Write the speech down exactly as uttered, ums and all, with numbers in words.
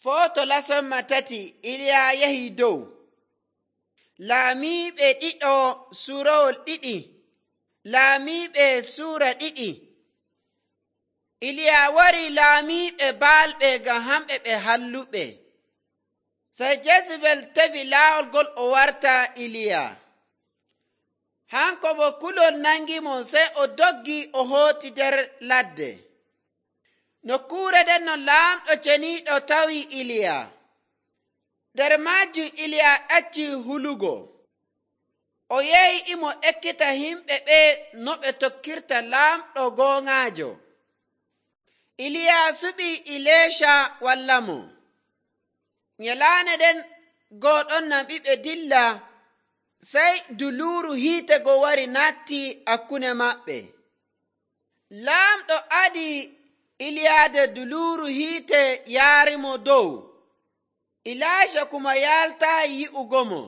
Footo lasomma tati Iliya yahi dow. Laamiiɓe ɗiɗo suurawol ɗiɗi. Laamiiɓe suura ɗiɗi. Iliya wari laamiiɓe baalɓe ngam hamɓe ɓe halluɓe. Sey Jezebel tefi laawol ngol o warta Iliya. Hanko bo kulol nangimo, sey o doggi o hooti nder ladde. Nokkuure nden no laamɗo ceniiɗo tawi Iliya. Nder maajum Iliya ɗacci hulugo. O yehi imo ekkita himɓe ɓe no ɓe tokkirta laamɗo gooŋaajo. Iliya suɓi Ileesha wallamo. Nyalaande nden gooɗon naɓi ɓe dilla, sey duluuru hiite go wari natti hakkunde maɓɓe. Laamɗo adi Iliyaade duluuru hiite yaarimo dow. Ilaasha kuma yaaltaayi yi'ugo mo.